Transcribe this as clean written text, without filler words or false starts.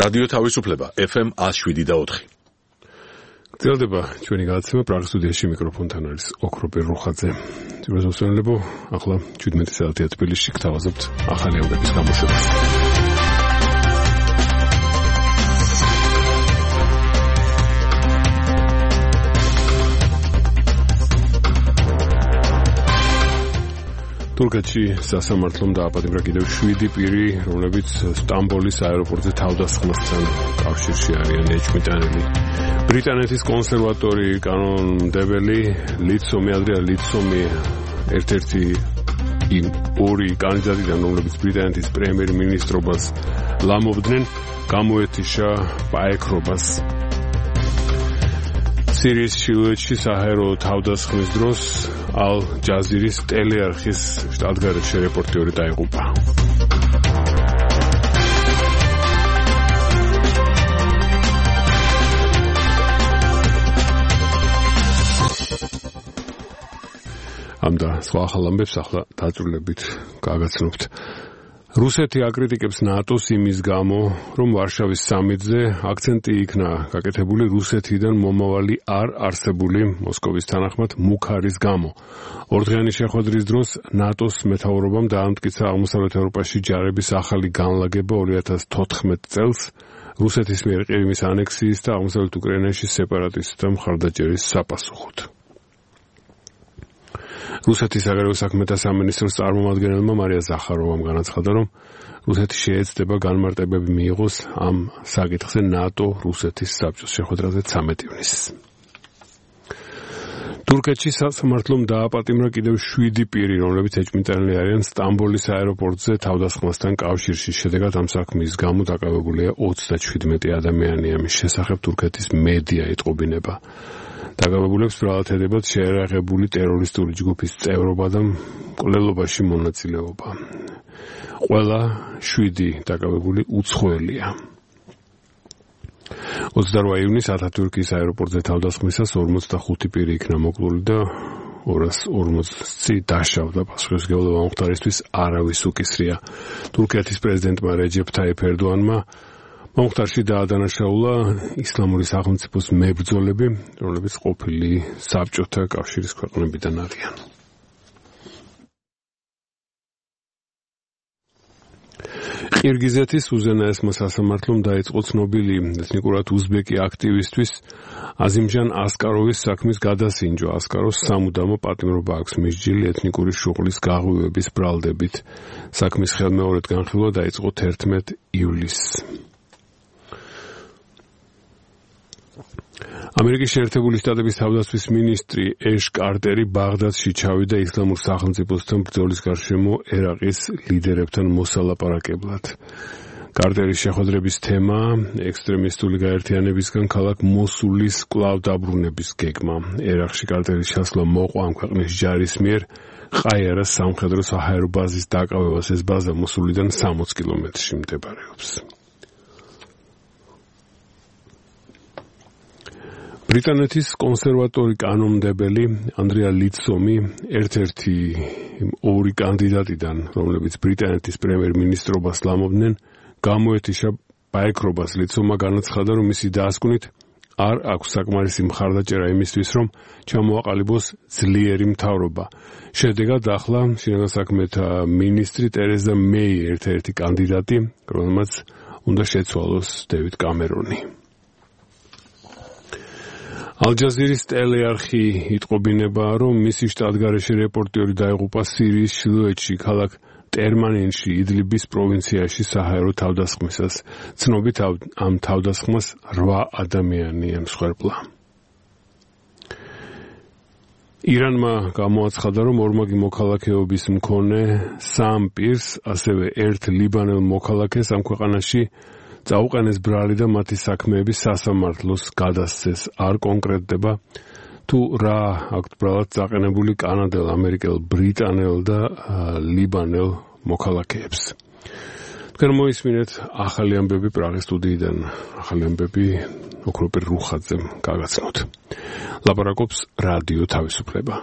რადიო თავისუფლება FM 107.4. გრძელდება ჩვენი გადაცემა პრაღის სტუდიაში მიკროფონთან არის ოქროპირ რუხაძე. ძიროსოსონლებო, ახლა 17 საათია თბილისში გთავაზობთ ახალი ამბების გამოშვებას. თურქეთში სასამართლომ დააპატიმრა კიდევ 7 პირი, რომლებიც სტამბოლის აეროპორტზე თავდასხმასთან კავშირში არიან ეჭვმიტანილი. ბრიტანეთის კონსერვატორი კანონმდებელი ლიცომი ადრია ლიცომი ერთ-ერთი იმ ორი კანდიდატიდან, რომლებიც ბრიტანეთის პრემიერ-მინისტრობას ლამობდნენ, გამოეთიშა პაექრობას. სირიის ჩრდილოეთში საჰაერო თავდასხმის დროს ალ-ჯაზირის ტელეარხის შტატგარეშე რეპორტიორი დაიღუპა. ამ და სხვა ახალ ამბებს ახლა დაწვრილებით გაგაცნობთ. რუსეთი აკრიტიკებს ნატოს იმის გამო, რომ ვარშავის სამიტზე აქცენტი იქნა გაკეთებული რუსეთიდან მომავალი არ არსებული მოსკოვის თანახმად მუქარის გამო. ორდღიანი შეხვედრის დროს ნატოს მეთაურობამ დაამტკიცა აღმოსავლეთ ევროპაში ჯარების ახალი განლაგება 2014 წელს რუსეთის მიერ ყირიმის ანექსიის და აღმოსავლეთ უკრაინაში სეპარატისტთა მხარდაჭერის საპასუხოდ. რუსეთის საგარეო საქმეთა სამინისტროს წარმომადგენელმა მარია ზახაროვამ განაცხადა, რომ რუსეთი შეეცდება განმარტებები მიიღოს ამ საკითხზე ნატო-რუსეთის საბჭოს შეხვედრაზე 13 ივნისს. თურქეთში სასამართლომ დააპატიმრა კიდევ 7 პირი, რომლებიც ეჭვმიტანილი არიან სტამბოლის აეროპორტზე თავდასხმასთან კავშირში. შედეგად ამ საქმის გამო დაკავებულია 37 ადამიანი. ამის შესახებ თურქეთის მედია იტყობინება. დაკავებულებს ბრალად ედებათ შეერაღებული ტერორისტული ჯგუფის წევრობა და მკვლელობაში მონაწილეობა. ყველა 7 დაკავებული უცხოელია. 28 ივნისს ათათურქის აეროპორტზე თავდასხმისას 45 პირი იქნა მოკლული და 240 დაშავდა. პასუხისმგებლობა მომხდარისთვის არავის უკისრია. თურქეთის პრეზიდენტმა რეჯეფ თაიფ ერდოანმა მომხდარში დაადანაშაულა ისლამური სახელმწიფოს მებრძოლები, რომლებიც ყოფილი საბჭოთა კავშირის ქვეყნებიდან არიან. ყირგიზეთის უზენაესმა სასამართლომ დაიწყო ცნობილი ეთნიკურად უზბეკი აქტივისტვის აზიმჟან ასკაროვის საქმის გადასინჯვა. ასკაროს სამუდამო პატიმრობა აქვს მისჯილი ეთნიკური შუღლის გაღვივების ბრალდებით. საქმის ხელმეორედ განხილვა დაიწყო 11 ივლისს. ამერიკის შეერთებული შტატების თავდაცვის მინისტრი ეშ კარტერი ბაღდადში ჩავიდა ისლამურ სახელმწიფოსთან ბრძოლის გარშემო ერაყის ლიდერებთან მოსალაპარაკებლად. კარტერის შეხვედრების თემა ექსტრემისტული გაერთიანებისგან ქალაქ მოსულის კვლავ დაბრუნების გეგმა. ერაყში კარტერის ჩასვლა მოყვა ამ ქვეყნის ჯარის მიერ ყაიარას სამხედრო საჰაერო ბაზის დაკავებას. ეს ბაზა მოსულიდან 60 კილომეტრში მდებარეობს. ბრიტანეთის კონსერვატორი კანონმდებელი ანდრია ლიცომი ერთ-ერთი ორი კანდიდატიდან, რომლებიც ბრიტანეთის პრემიერ-მინისტრობას ლამობდნენ, გამოეთიშა პაექრობას. ლიცომმა განაცხადა, რომ მისი დასკვნით არ აქვს საკმარისი მხარდაჭერა იმისთვის, რომ ჩამოაყალიბოს ძლიერი მთავრობა. შედეგად ახლა შინაგან საქმეთა მინისტრი ტერეზა მეი ერთ-ერთი კანდიდატი, რომელმაც უნდა შეცვალოს დევიდ კამერონი. ალ-ჯაზირის ტელეარხი იტყობინება, რომ მისი შტატგარეშე რეპორტიორი დაიღუპა სირიის ჩრდილოეთში, ქალაქ ტერმანინში, იდლიბის პროვინციაში საჰაერო თავდასხმისას. ცნობით ამ თავდასხმას 8 ადამიანი ემსხვერპლა. ირანმა გამოაცხადა, რომ ორმაგი მოქალაქეობის მქონე 3 პირს, ასევე 1 ლიბანელ მოქალაქეს ამ ქვეყანაში წაუყენეს ბრალი და მათი საქმეები სასამართლოს გადასცეს. არ კონკრეტდება თუ რა აქვთ ბრალად წაყენებული კანადელ, ამერიკელ, ბრიტანელ და ლიბანელ მოქალაქეებს. თქვენ მოისმინეთ ახალი ამბები პრაღის სტუდიიდან. ახალი ამბები ოქროპირ რუხაძემ გაგაცნოთ. ლაპარაკობს რადიო თავისუფლება.